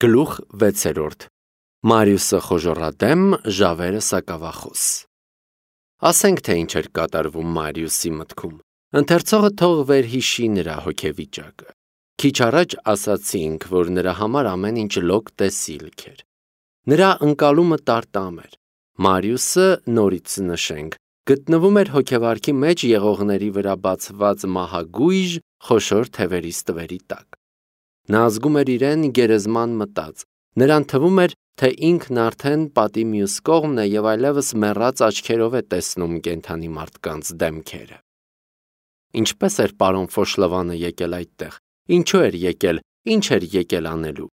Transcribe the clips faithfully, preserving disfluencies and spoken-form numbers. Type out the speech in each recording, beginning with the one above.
Գլուխ վեցերորդ Մարիուսը խոժոռադեմ, ժավերը սակավախոս։ Ասենք թե ինչ էր կատարվում Մարիուսի մտքում։ Ընթերցողը թող վերհիշի նրա հոգեվիճակը։ Քիչ առաջ ասացինք, որ նրա համար ամեն ինչ լոկ տեսիլք էր։ Նրա ընկալումը տարտամ էր։ Մարիուսը, նորից նշենք, գտնվում էր հոգեվարքի մեջ եղողների վրա բացված մահագույժ խոշոր թևերի ստվերի տակ։ Նա զգում էր իրեն գերեզման մտած, նրան թվում էր, թե ինքն արդեն պատի մյուս կողմն է և այլևս մեռած աչքերով է տեսնում կենդանի մարդկանց դեմքերը։ Ինչպես էր պարոն Ֆոշլովանը եկել այդտեղ, ինչու էր եկել, ինչ էր եկել անելու։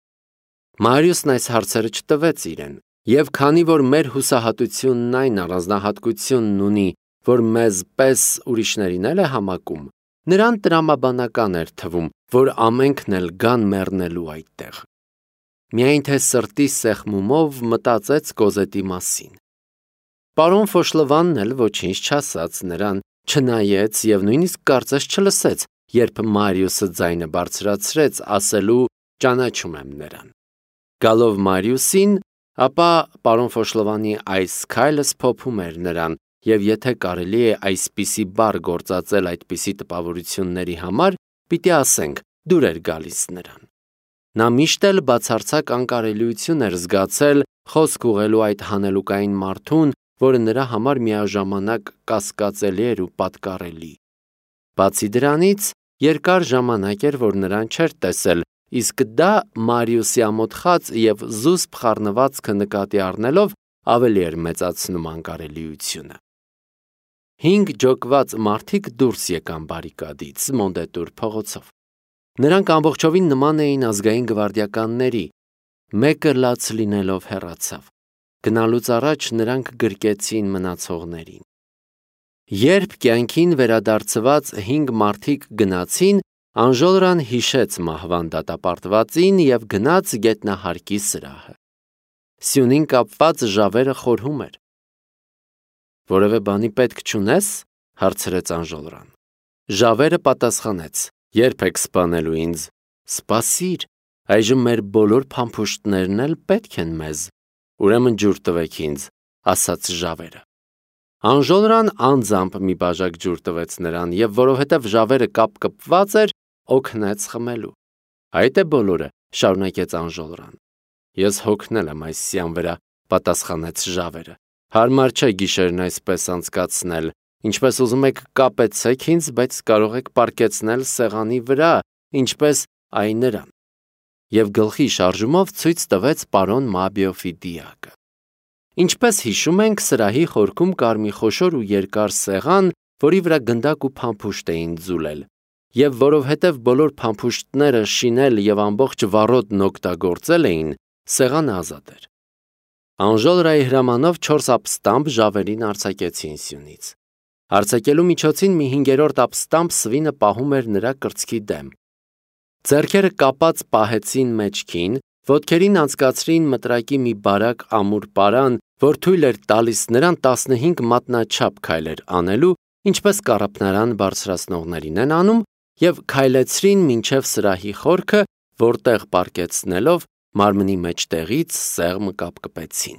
Մարիուսն այս հարցերը չտվեց իրեն, և քանի որ մեր հուսահատությունն այն առանձնահատկությունն ունի, որ մեզ պես ուրիշներին էլ է համակում, նրան տրամաբանական էր թվում, որ ամենքն էլ գան մեռնելու այդտեղ։ Միայն թե սրտի սեղմումով մտածեց Կոզետի մասին։ Պարոն Ֆոշլովանն էլ ոչինչ չասաց նրան, չնայեց և նույնիսկ կարծես չլսեց, երբ Մարիուսը ձայնը բարձրացրեց, ասելու ճանաչում եմ նրան։ Գալով Մարիուսին, ապա պարոն Ֆոշլովանի այս քայլը սփոփում էր նրան, և եթե կարելի է այսպիսի բառ գործածել այդպիսի տպավորությունների համար, պիտի ասենք, դուր էր գալիս նրան։ Նա միշտ էլ բացարձակ անկարելիություն էր զգացել խոսք ուղղելու այդ հանելուկային մարդուն, որը նրա համար միաժամանակ կասկածելի էր ու պատկառելի։ Բացի դրանից, երկար ժամանակ էր, որ նրան չէր տեսել, իսկ դա Մարիուսի ամոթխած և զուսպ խառնվածքը նկատի առնելով ավելի էր մեծացնում անկարելիությունը։ Հինգ ջոկված մարդիկ դուրս եկան բարիկադից Մոնդետուր փողոցով։ Նրանք ամբողջովին նման էին ազգային գվարդիականների, մեկը լաց լինելով հեռացավ։ Գնալուց առաջ նրանք գրկեցին մնացողներին։ Երբ կյանքին վերադարձված հինգ մարդիկ գնացին, Անժոլրան հիշեց մահվան դատապարտվածին և գնաց գետնահարկի սրահը։ Սյունին կապված ժավերը խորհում էր։ Որևէ բանի պետք չունե՞ս, հարցրեց Անժոլրան։ Ժավերը պատասխանեց. Երբ եք սպանելու ինձ։ Սպասիր, այժմ մեր բոլոր փամփուշտներն էլ պետք են մեզ։ Ուրեմն ջուր տվեք ինձ, ասաց ժավերը։ Անժոլրան անձամբ մի բաժակ ջուր տվեց նրան և որովհետև ժավերը կապկպված էր, օգնեց խմելու։ Այդ է բոլորը, շարունակեց Անժոլրան։ Ես հոգնել եմ այս սյան վրա, պատասխանեց ժավերը։ Հարմար չէ գիշերն այսպես անցկացնել, ինչպես ուզում եք կապեցեք ինձ, բայց կարող եք պառկեցնել սեղանի վրա, ինչպես այ նրան։ Եվ գլխի շարժումով ցույց տվեց պարոն Մաբիոֆի դիակը։ Ինչպես հիշում ենք, սրահի խորքում կար մի խոշոր ու երկար սեղան, որի վրա գնդակ ու փամփուշտ էին ձուլել, և որովհետև բոլոր փամփուշտները շինել և ամբողջ վառոդն օգտագործել էին, սեղանը ազատ էր։ Անժոլրայի հրամանով չորս ապստամբ ժավերին արձակեցին սյունից։ Արձակելու միջոցին մի հինգերորդ ապստամբ սվինը պահում էր նրա կրծքի դեմ։ Ձեռքերը կապած պահեցին մեջքին, ոտքերին անցկացրին մտրակի մի բարակ ամուր պարան, որ թույլ էր տալիս նրան տասնհինգ մատնաչափ քայլեր անելու, ինչպես կառափնարան բարձրացնողներին են անում, և քայլեցրին մինչև սրահի խորքը, որտեղ պառկեցնելով մարմնի մեջտեղից սեղմ կապկպեցին։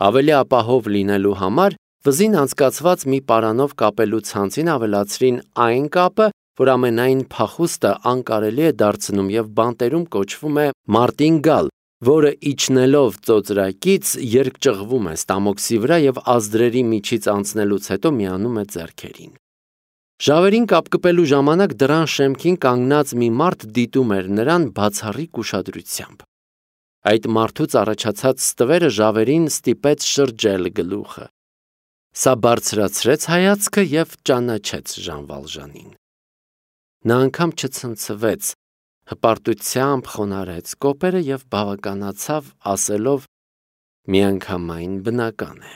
Ավելի ապահով լինելու համար վզին անցկացված մի պարանով կապելու ցանցին ավելացրին այն կապը, որ ամենայն փախուստը անկարելի է դարձնում և բանտերում կոչվում է մարտինգալ, որը իջնելով ծոծրակից երկճղվում է ստամոքսի վրա և ազդրերի միջից անցնելուց հետո միանում է ձեռքերին։ Ժավերին կապկպելու ժամանակ դռան շեմքին կանգնած մի մարդ դիտում էր նրան բացառիկ ուշադրությամբ։ Այդ մարդուց առաջացած ստվերը ժավերին ստիպեց շրջել գլուխը։ Սա բարձրացրեց հայացքը և ճանաչեց Ժան Վալժանին։ Նա անգամ չցնցվեց, հպարտությամբ խոնարհեց կոպերը և բավականացավ ասելով. միանգամայն բնական է։